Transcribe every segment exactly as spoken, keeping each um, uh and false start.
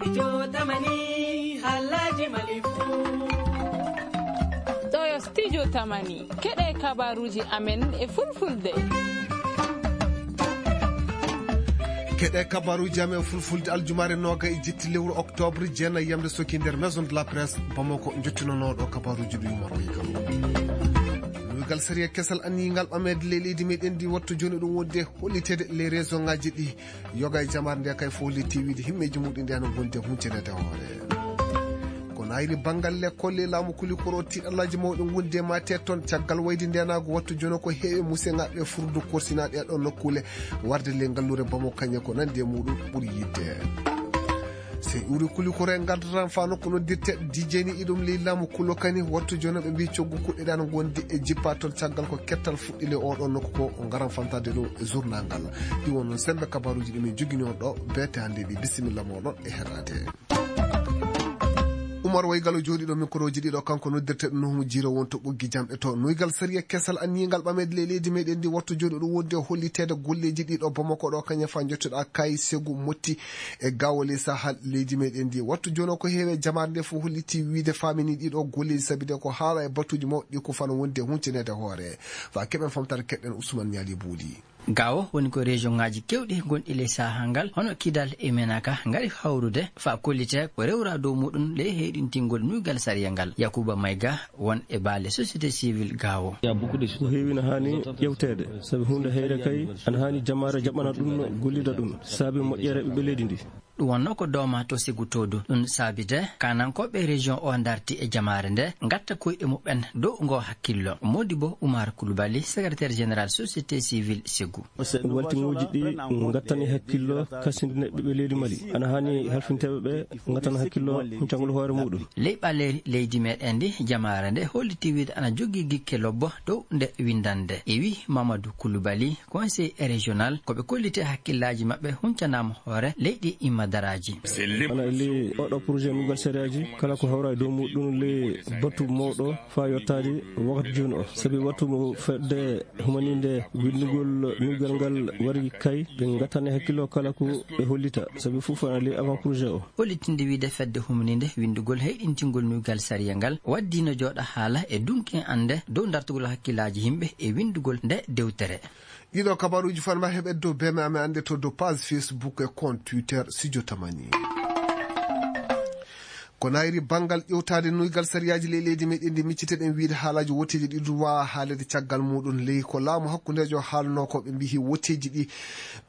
Studio Tamani, Halaji Malifu. Ɗo yo Studio Tamani, keɗe kabaruji amen e fulfulde. Keɗe kabaruji amen e fulfulde aljumaare nooga e jetti lewru octobre, jeenayi yamde soki nder Maison de la Presse, Bamako, jottinonooɗo kabaruji ɗi Umar Waygal. Nuygal sariya kesal anniyigal ɓameede ley leydi meɗen ndi wattu jooni ɗum wonde holliteede ley région ngaji ɗi. Yoga e jamaare nde kay fof hollitii wiide himmeeji muɗum nde hano gondi e huncanaade hoore. Ko nayri banngal lekkol e laamu kulikoro tiiɗallaaji mawɗi ngondi e maate toon caggal wayde ndeenaagu wattu jono ko heewi museŋaaɓe furdu korsinaaɗe e ɗon nokkuule warde ley ngalluure Bamako kañe ko nandi e muɗum ɓuri yiɗde. Sey uri kulikoro e ngardataa fa nokku noddirte dijeni iɗum ley laamu kulo kani wattu jono ɓe mbi coggu kuɗɗe ɗan gondi e jippa toon caggal ko kettal fuɗɗi ley oɗo nokku ko ngaran famtade ɗum e journal ngal. Ɗi won noon sembe kabaruji ɗi min jogini on ɗo beete hannde ɗi bisimilla moɗon e heɗade. Umar Waygalo jooɗiiɗo mikroji ɗiɗo kanko noddirte ɗum no homo jiiro wonto ɓoggi jamɗe to nuygal sariya kesal anniyigal ɓameede ley leydi meɗen ndi wattu jooɗi ɗum wonde holliteede golleji ɗiɗo Bamako ɗo kañum fa jottoɗa kay segu motti e gawo ley sahal leydi meɗen ndi wattu jono ko heewe jamaare nde fof holliti wiide famini ɗiɗo golleji sabi de ko haala e batuji mawɗi ko fano wonde huncinede hoore fa keɓen famtare keɗɗen Ousmane Ñaali Buuli. Gawo woni ko région ngaji kewɗi gonɗi ley saha ngal hono Kidal e Menaka ngari hawrude fa kollite ko rewra dow muɗum ley heyɗintingol nuygal sariya ngal. Yakuba Mayga won e baale société civile Gawo. Ko heewi na haani ƴewteede sabi huunde heyre kay ana haani jamaare jaɓana ɗum gollida ɗum saabi moƴƴere ɓiɓɓe leydi ndi. Ɗum wonno ko dooma to Segu Toodu ɗum saabi de kanankooɓe région o darti e jamaare nde ngatta koyɗe muɓɓen dow ngo hakkillo. Modibo Umar Kulubali secrétaire général société civile Segu. Waltiŋooji ɗi ngattani hakkillo kasindine ɓiɓɓe leydi Mali ana haani halfinteeɓe ɓe ngattana hakkillo huncangol hoore muɗum. Ley ɓaleeri leydi meɗen ndi jamaare nde holliti wiide ana jogii gikke lobbo dow nde windande e wi Mamadou Kulubali conseil régional ko ɓe kollite hakkillaaji maɓɓe huncanaama hoore leyɗi imma daraaji. Ana e ley oɗo projet nuggal sariyaji kala ko hawra e dow muɗum ley batu mawɗo fa yottaade wakati jooni o sabi wattu mo fedde humaninde winndugol nuygal ngal wari kay ɓe ngattane hakkillo kala ko ɓe hollita sabi fof ana ley avant projet o. Hollitinde wiide fedde humaninde winndugol heyɗintingol nuygal sariya ngal waddino jooɗa haala e dunkin annde dow dartugol hakkillaaji yimɓe e winndugol nde dewtere. Ɗiɗo kabaruji fanma heɓe dow beme amen annde to dow page Facebook e compte Twitter Studio Tamani. Ko nayri banngal ƴewtaade nuygal sariyaaji ley leydi meɗen ndi micciteɗen wiide haalaaji woteeji ɗi duwa haalede caggal muɗum ley ko laamu hakkundeejo haalno ko ɓe mbihi woteeji ɗi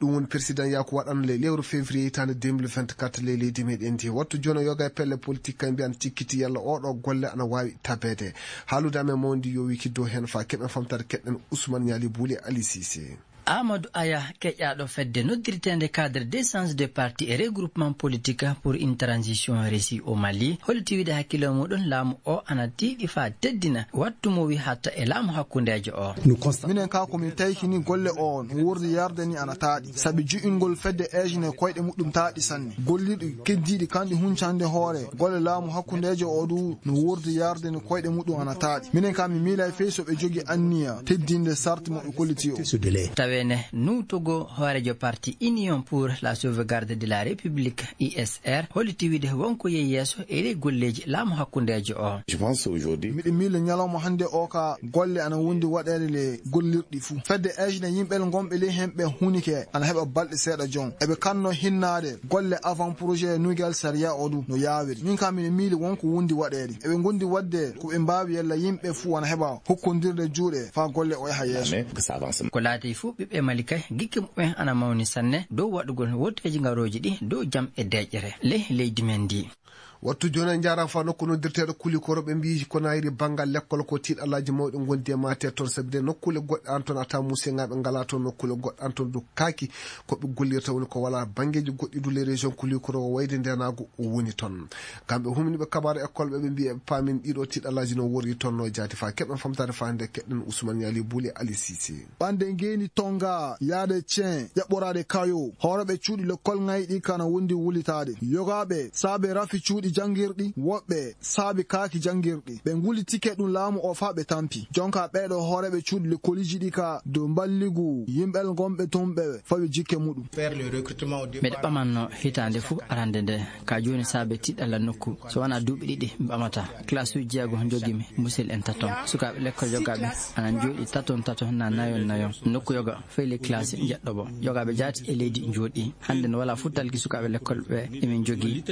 ɗum woni président yaku waɗano ley lewru février hitaande deux mille vingt-quatre ley leydi meɗen ndi wattu jono yoga e pelle politique kay mbiyan cikkiti yalla oɗo golle ana waawi tabeede. Haalude amen mawndi yowiki dow heen fa keɓen famtare keɗɗen Ousmane Ñaali Buuli e Ali Cissé. Amadou Aya keƴaaɗo fedde noddirteende cadre d'échange de parti et regroupement politique pour une transition réussie au Mali holliti wiide hakkillo muɗum laamu o ana tiiɗi fa teddina wattu mo wi hatta e laamu hakkundeejo o. Minen ka ko min taykini golle o no wordi yarde ni ana taaɗi sabi ju'ingol fedde eejine koyɗe muɗum taaɗi sanne gollirɗi keddiiɗi kanɗi huncande hoore golle laamu hakkundeejo o du no wordi yarde ni koyɗe muɗum ana taaɗi minen ka mi miila e fey so ɓe jogi anniya teddinde sarti mo ɓe kolliti o. Tawene nuutogo hoorejo parti Union pour la sauvegarde de la République U S R holliti wiide wonko yehi yeeso e ley golleeji laamu hakkundeejo o. Miɗo miila ñalawma hannde o ka golle ana wondi waɗeede le gollirɗi fuu fedde eejine yimɓe gonɓe ley hemɓe hunike ana heɓa balɗe seeɗa jon eɓe kanno hinnaade golle avant projet nuygal sariya o du no yaawiri min ka miɗo miili wonko wondi waɗeede eɓe gondi waɗde ko ɓe mbaawi yalla yimɓe fuu ana heɓa hokkondirde juuɗe faa golle o yaha yeeso. Ko laati fuu ɓiɓɓe Mali kay gikke muɓɓen ana mawni sanne dow waɗugol wotteeji ngarooji ɗi dow jam e deeƴere ley leydi men ndi. Wattu jooni en njaaraama faa nokku noddirteeɗo Kulikoro ɓe mbiyi ko nayri banngal lekkol ko tiiɗalaaji mawɗi ngondi e maate toon sabi de nokkuule goɗɗe an toon a tawa museŋaaɓe ngalaa toon nokkuule goɗɗe an toon du kaaki ko ɓe gollirta woni ko walaa banngeeji goɗɗi du le région Kulikoro o wayde ndeenaagu o woni toon. Kamɓe humniiɓe kabaaru école ɓe ɓe mbiyi eɓe paamini ɗiɗo tiiɗalaaji no worri toon no jaati faa keɓen famtaade faa nde keɗɗen Ousmane Yali Bouli Ali Cissé. Ɓande ngeeni Tonga yaade Cen ƴaɓɓoraade Kayo hooreeɓe cuuɗi lekkol ŋayɗi kana wondi wulitaade yogaaɓe saabe rafi cuuɗi Janngirɗi, woɓɓe saabi kaaki janngirɗi. Ɓe nguli tike ɗum laamu o faa ɓe tampi. Jonka ɓeeɗo hooreeɓe cuuɗi lekkoliiji ɗi ka dow mballigu yimɓel ngonɓe toon ɓe fawi jikke muɗum. Miɗo ɓamanno hitaande fuu arande nde, ka jooni saabe tiɗɗalla nokku, so wonaa duuɓi ɗiɗi mi ɓamata. Classe uji jeego njogimi, musel en taton. Sukaaɓe lekkol yogaaɓe ana njooɗi taton taton na nayon nayon. Nokku yoga feyli classe njeɗɗo bo. Yogaaɓe jaati e leydi njooɗi. Hannde no walaa fuu talki sukaaɓe lekkol ɓe emin njogii.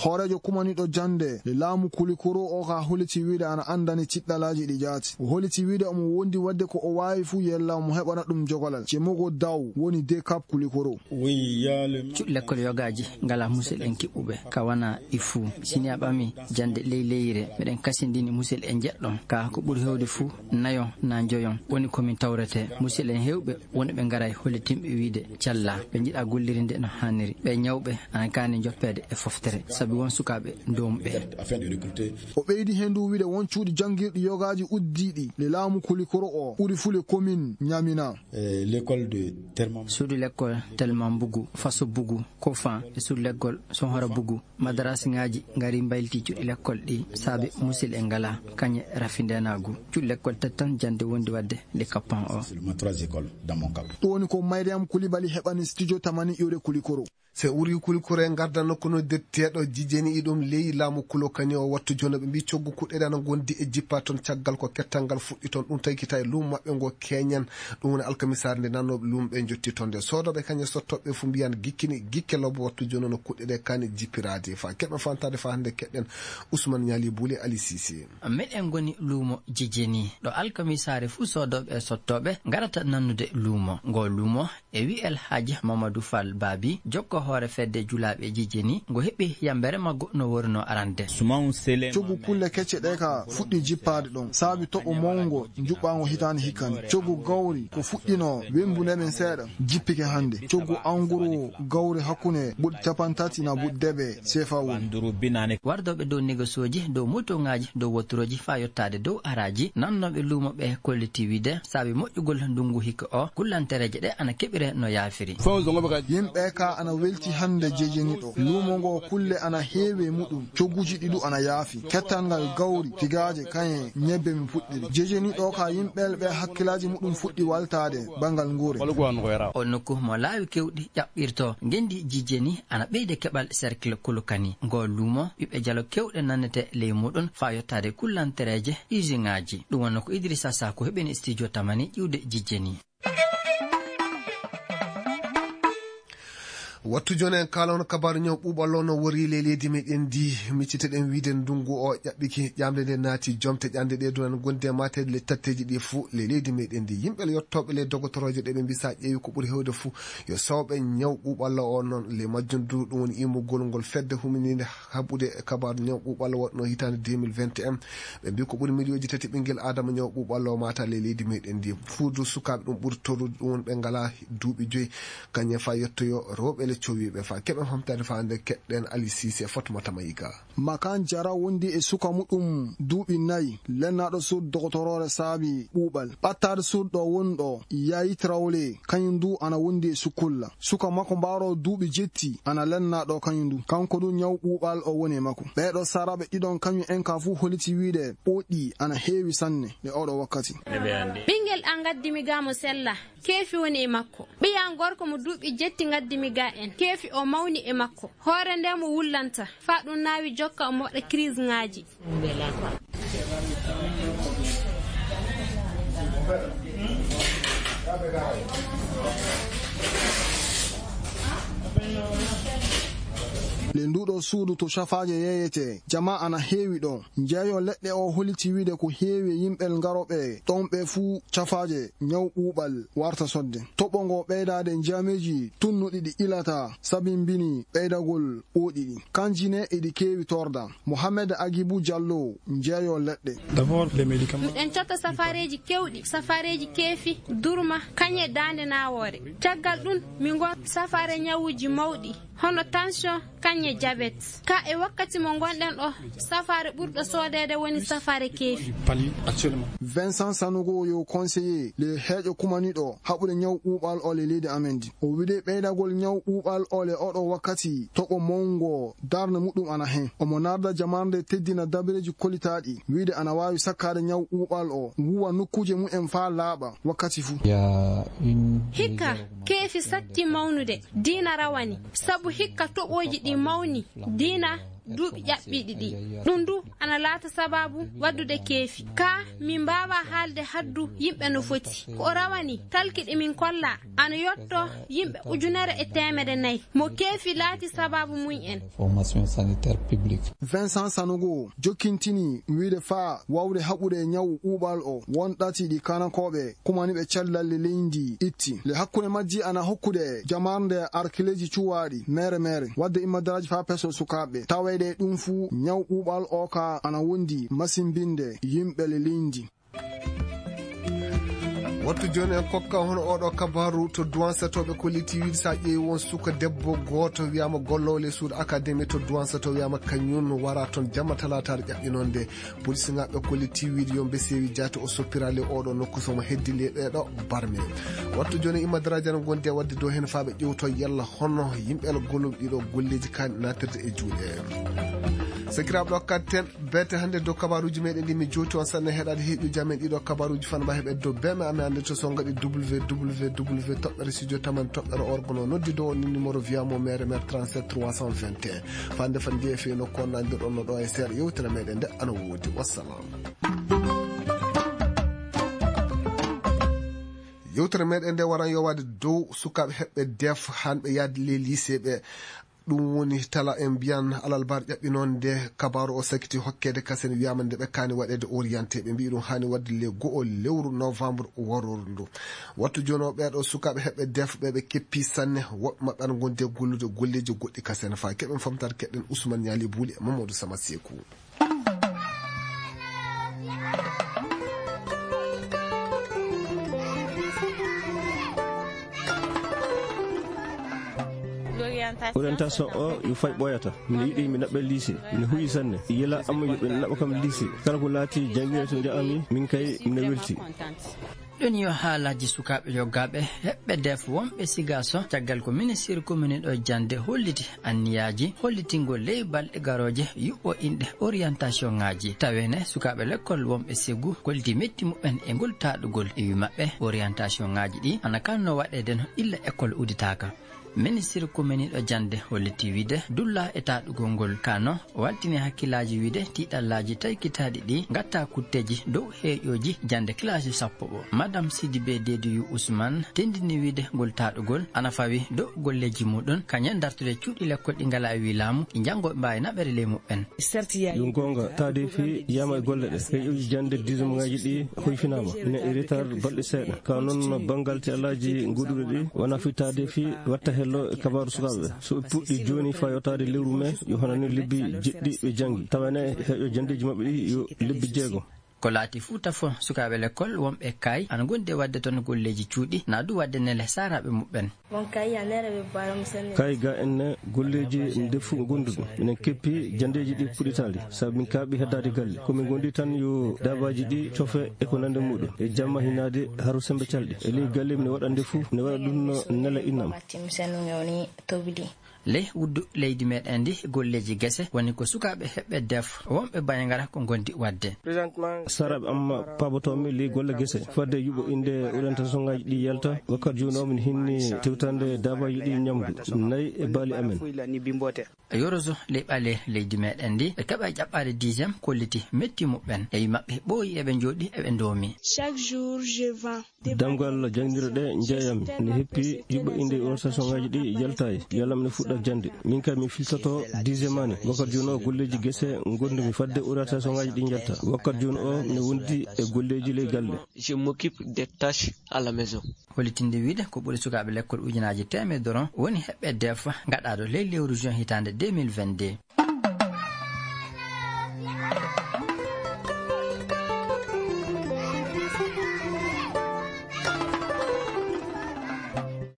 Hooreejo kumaniiɗo jannde le laamu Kulikoro o ka holiti wiide ana anndani tiɗɗalaaji ɗi jaati. O holiti wiide omo wondi waɗde ko o waawi fuu yella omo heɓana ɗum jogolal. Cemogo Daw woni D K P Kulikoro. Cuuɗi lekkol yogaaji ngalaa musel en kiɓɓuɓe, ka wanaa ɗi fuu. Si ni a ɓami jannde ley leyre, meɗen kasindini musel en njeɗɗon. Ka ko ɓuri heewde fuu, nayon na njoyon woni ko min tawretee. Musel en heewɓe woni ɓe ngaray hollitinɓe wiide calla, ɓe njiɗa gollirinde no haaniri. Ɓe ñawɓe ana kaani joppeede e foftere, sabi won sukaaɓe doomuɓe. O ɓeydi heen du wiide won cuuɗi janngirɗi yogaaji uddiiɗi le laamu Kulikoro o ɓuri fuu le commune Ñamina. Suudu lekkol Telmambugu, Faso Bugu, Kofan e suudu lekkol Sonhora Bugu. Madarasiŋaaji ngari mbayliti cuuɗi lekkol ɗi saabe musel en ngalaa, kañe rafi ndeenaagu. Cuuɗi lekkol tati tan jannde wondi waɗde le kappan o. Ɗum woni ko Mariam Kulibali heɓani studio Tamani iwde Kulikoro. Se uri Kulikoro e ngarda nokku no detteeɗo jijeni iɗum ley laamu Kulokani o wattu jono ɓe mbi coggu kuɗɗeɗe ana gondi e jippa toon caggal ko kettal ngal fuɗɗi toon. Ɗum tawi kita e luumo maɓɓe ngo keñan. Ɗum woni alkamisaare nde nannooɓe luumo ɓe njotti toon nde. Soodooɓe kañe sottooɓe fuu mbiyan gikkini gikke lobbo wattu jono no kuɗɗeɗe kani jippiraade. Fa keɓe fantaade fa hannde keɗɗen Ousmane Ñaali Buli Ali Sisi. Meɗen ngoni luumo jijeni, ɗo alkamisaare fuu soodooɓe e sottooɓe ngarata nannude luumo. Ngo luumo e wi'el Haaji Mamadou Fall Baabi, jokko hoore fedde julaaɓe jijeni, ngo heɓi yambere maggo no worunoo arande. Coggu kulle kecce ɗe ka fuɗɗi jippaade ɗon, saabi toɓo mawngo njuɓɓaango hitaande hikkande. Coggu gawri ko fuɗɗinoo wembude men seeɗa, jippike hannde. Coggu anguru gawri hakkunde buɗi capantati na buɗi deɓe seefa woni. Wardooɓe dow negesooji, dow motoŋaaji, dow woturoji faa yottaade dow araaji, nannooɓe luumo ɓe kolliti wiide, saabi moƴƴugol ndunngu hikka o, kullantereeje ɗe ana keɓire no yaafiri. Yimɓe ka ana welti hannde jejeniɗo. Luumo ngo kulle ana heewi e muɗum, cogguji ɗi du ana yaafi. Kettal ngal gawri, tigaaje, kañe, ñebbe min puɗɗiri. Jejeniɗo ka yimɓe ɓe hakkilaaji muɗum fuɗɗi waltaade banngal nguure. O nokku mo laawi kewɗi ƴaɓɓirto, ngendi jijeni ana ɓeyde keɓal cercle Kulukani. Ngo luumo, ɓiɓɓe jalo kewɗe nannete ley muɗum faa yottaade kullantereeje usiŋaaji. Ɗum wonno ko Idrissa Sako heɓini studio Tamani ƴiwde jijeni. Wattu jooni en kaala on kabaaru ñaw ɓuuɓal o no wori ley leydi meɗen ndi. Micciteɗen wiide ndunngu o ƴaɓɓiki, ƴaamde nde naati jomte ƴande ɗe dunan gonde e maateede le tatteeji ɗi fuu ley leydi meɗen ndi. Yimɓe le yottooɓe le dogotorooje ɗe ɓe mbisa ƴeewi ko ɓuri heewde fuu yo sawɓe ñaw ɓuuɓal o noon le majjum du ɗum woni immugol ngol fedde humininde haɓude e kabaaru ñaw ɓuuɓal waɗno hitaande deux mille vingt et un. Ɓe mbi ko ɓuri miliyooji tati ɓinngel aadama ñaw ɓuuɓal o maata ley leydi meɗen ndi. Fuudu sukaaɓe ɗum ɓuri torrude ɗum woni ɓe ngalaa duuɓi joyi. Kañum fa yettoyo rewɓe le cowiiɓe fa keɓen famtaade fa nde keɗɗen Ali Sise e Fatmata Mayga. Makan Jara wondi e suka muɗum duuɓi nayi, lennaaɗo suudu dogotoroore saabi ɓuuɓal. Ɓattaade suudu ɗo woni ɗo, Yayi Traoré, kañum du ana wondi e sukulla. Suka makko mbaaro duuɓi jetti ana lennaa ɗo kañum du. Kanko du ñaw ɓuuɓal o woni e makko. Ɓee ɗo saraaɓe ɗiɗon kañum en ka fuu holiti wiide ɓoɗɗi ana heewi sanne e oɗo wakkati. Ɓinngel an ngaddi mi ga mo sella. Keefi woni e makko. Ɓiya gorko mo duuɓi jetti ngaddi mi ga en. Keefi o mawni e makko. Hoore nde mo wullanta. Faa ɗum naawi jokka omo waɗa crise ŋaaji. Le nduɗo suudu to cafaaje yeeyete, jama ana heewi ɗo. Njeeyo leɗɗe o holiti wiide ko heewi e yimɓe ngaroɓe ɗon ɓe fuu cafaaje ñaw ɓuuɓal warta sodde. Toɓo ngo ɓeydaade njaameeji tunnuɗi ɗi ilata sabimbini ɓeydagol ɓooɗi ɗi. Kanji ne eɗi keewi torda. Mohamed Agibu Jallo, njeeyo leɗɗe. D'abord, les médicaments. Miɗen cotta safaareeji kewɗi, safaareeji keefi, durma, kañe daande nawoore. Caggal ɗum, min ngon safaare ñawuuji mawɗi, hono tension, kañe e jabet. Ka e wakkati mo ngonɗen ɗo, safaare ɓurɗo soodeede woni safaare keefi. Vincent Sanogo yo conseiller le heeƴo kumaniɗo haɓude ñaw ɓuuɓal o le leydi amen ndi. O wiɗe ɓeydagol ñaw ɓuuɓal o le oɗo wakkati toɓo mawngo darnde muɗum ana hen. Omo narda jamarnde teddina dabareeji kolitaaɗi wiide ana waawi sakkaade ñaw ɓuuɓal o wuwa nokkuuje mumen faa laaɓa wakkati fuu. Hikka, keefi satti mawnude, diina rawani, sabu hikka toɓooji ɗi mawni, diina duuɓi ƴaɓɓiiɗi ɗi. Ɗum du ana laata sababu waddude keefi. Ka min mbaawa haalde haddu yimɓe no foti. Ko o rawani talki ɗi min kolla ana yotto yimɓe ujunere e teemedde nayi. Mo keefi laati sababu mum en. Vincent Sanogo jokkintini wiide faa wawde haɓude ñaw ɓuuɓal o won ɗati ɗi kanakooɓe kumaniiɓe cellal leydi itti. Le hakkunde majji ana hokkude jamarnde arkileeji cuwaaɗi mere mere, wadde immadaraaji faa peso sukaaɓe. Tawayde ɗum fuu, ñaw ɓuuɓal o ka ana wondi masimbinde yimɓe le leydi. Wattu jooni en kokka hono oɗo kabaru to Duwan Sato ɓe kolliti wiide sa ƴeewi won suka debbo gooto wiyaama gollowo le suudu akademi to Duwan Sato wiyaama kañum wara toon jamma talaataare ƴaɓɓinoonde. Polisinaaɓe kolliti wiide yo mbe sewi jaati o soppiraali oɗo nokku somo heddi le ɓeeɗo barme. Wattu jooni imma darajana gondi e wadde dow heen faaɓe ƴewto yalla hono yimɓe ala golluɓe ɗiɗo golleeji kaani natirde e juuɗe. Sakiraaɓe ɗo katten bete hannde dow kabaruuji meɗen ɗi mi jowti on sanne heɗade heeƴuji amen ɗiɗo kabaruuji fanma heɓe dow beme amen hannde to songaɗi www toɓɓere studio taman toɓɓere orgono noddi dow on numéro via mo mere mere trente-sept trois cent vingt et un. Fande fan jeeya fewi nokku on nandirɗon no ɗo e seeɗa yewtere meɗen nde ana woodi. Wassalam. Yewtere meɗen nde waran yowade dow sukaɓe heɓɓe def hanɓe yaade le lycée ɓe. Ɗum woni tala en mbiyan alalbar ƴaɓɓinonde kabaru o sakiti hokkede kasen wiyama nde ɓe kani waɗede orienté ɓe mbi ɗum hani wadde le go'o lewru novembre warordu. Wattu jono ɓeɗo sukaɓe heɓɓe def ɓeɓe keppi sanne woɓɓe maɓɓe ana gonde gollude golleji goɗɗi kasen fa keɓen famtata keɗen Ousmane Niali Bouli e Mamadou Sama Sekou. Orientation o yo fay ɓooyata. Miɗo yiɗi mi naɓɓe lycée. Miɗo huyi sanne. Yela amma yo ɓe naɓɓa kam lycée. Kala ko laati jangirde to njaami, min kay miɗo welti. Ɗum yo haalaaji sukaaɓe yoggaaɓe heɓɓe def wonɓe Sigaso, caggal ko ministir commune ɗo jannde holliti anniyaaji hollitingol ley balɗe garooje yuɓɓo inɗe orientation ŋaaji. Taweene sukaaɓe lekkol wonɓe Segu kolliti metti muɓɓen e ngol taaɗugol. E wi maɓɓe, orientation ŋaaji ɗi ana kanno waɗeede no illa ekkol uditaaka. Ministir kominiiɗo jannde holliti wiide dulla e taaɗugol ngol kano waltini hakkillaaji wiide tiiɗallaaji taykitaaɗi ɗi ngatta kutteeji dow heeƴooji jannde kilasi sappo o. Madame Sidibé Dediyou Ousmane tendini wiide ngol taaɗugol ana fawi dow golleeji muɗum kañen dartude cuuɗi lekkol ɗi ngala e wi laamu ɗi njanngo ɓe mbaawi naɓere ley muɓɓen. Yo goonga, taadeefi yiyama e golle ɗe. Heƴoji jannde dixième ŋaaji ɗi hoyfinaama. Ina e retard balɗe seeɗa. Ka noon banngal teelaaji goɗɗuɗe ɗi wona fii taadeefi watta hello e kabaaru sukaaɓe ɓe. So ɓe puɗɗi jooni faa yottaade lewru mee, yo hono ni lebbi jeɗɗi ɓe janngi. Tawa ene heƴo janndeeji maɓɓe ɗi yo lebbi jeego. Ko laati Fuuta fof, sukaaɓe lekkol wonɓe kaay ana ngondi e waɗde toon golleeji cuuɗi, na du waɗde nele saaraaɓe muɓɓen. Kaay ga en ne golleeji ndefu ngonduɗo. Minen keppi janndeeji ɗi puɗɗitaali, sabu min kaaɓi heddaade galle. Ko min ngondi tan yo daabaaji ɗi cofe e ko nande muɗum. E jamma hinaade haro sembe calɗi. E ley galle mine waɗa ndefu, mine waɗa ɗum no nela innam. Ley wuddu leydi meɗen ndi, golleeji gese woni ko sukaaɓe heɓɓe def wonɓe Banjagara ko ngondi waɗde. Saraɓe amma paabotoomi ley golle gese, fadde yuɓo innde orientation ŋaaji ɗi yalta, wakkati jooni o min hinni tewtande daabaaji ɗi ñamdu, nayi e baali amen. Yoroso ley ɓale leydi meɗen ndi, ɓe keɓa ƴaɓɓaade dixième kolliti metti muɓɓen, e wi maɓɓe ɓooyi eɓe njooɗi eɓe ndoomi. Chaque jour, je vends. Damgal jannginirɗe njeeyam ne heppi yuɓɓo innde orientation ŋaaji ɗi yaltaay, yalam ne fuɗɗa jannde. Min kam mi filtoto dixième année. Wakkati jooni o golleeji gese ngondumi fadde orientation ŋaaji ɗi njalta. Wakkati jooni o mi wondi e golleeji ley galle. Je m'occupe des tâches à la maison. Hollitinde wiide ko ɓuri sukaaɓe lekkol ujunaaji teemedoro woni heɓɓe defa gaɗaaɗo ley lewru juin hitaande deux mille vingt-deux.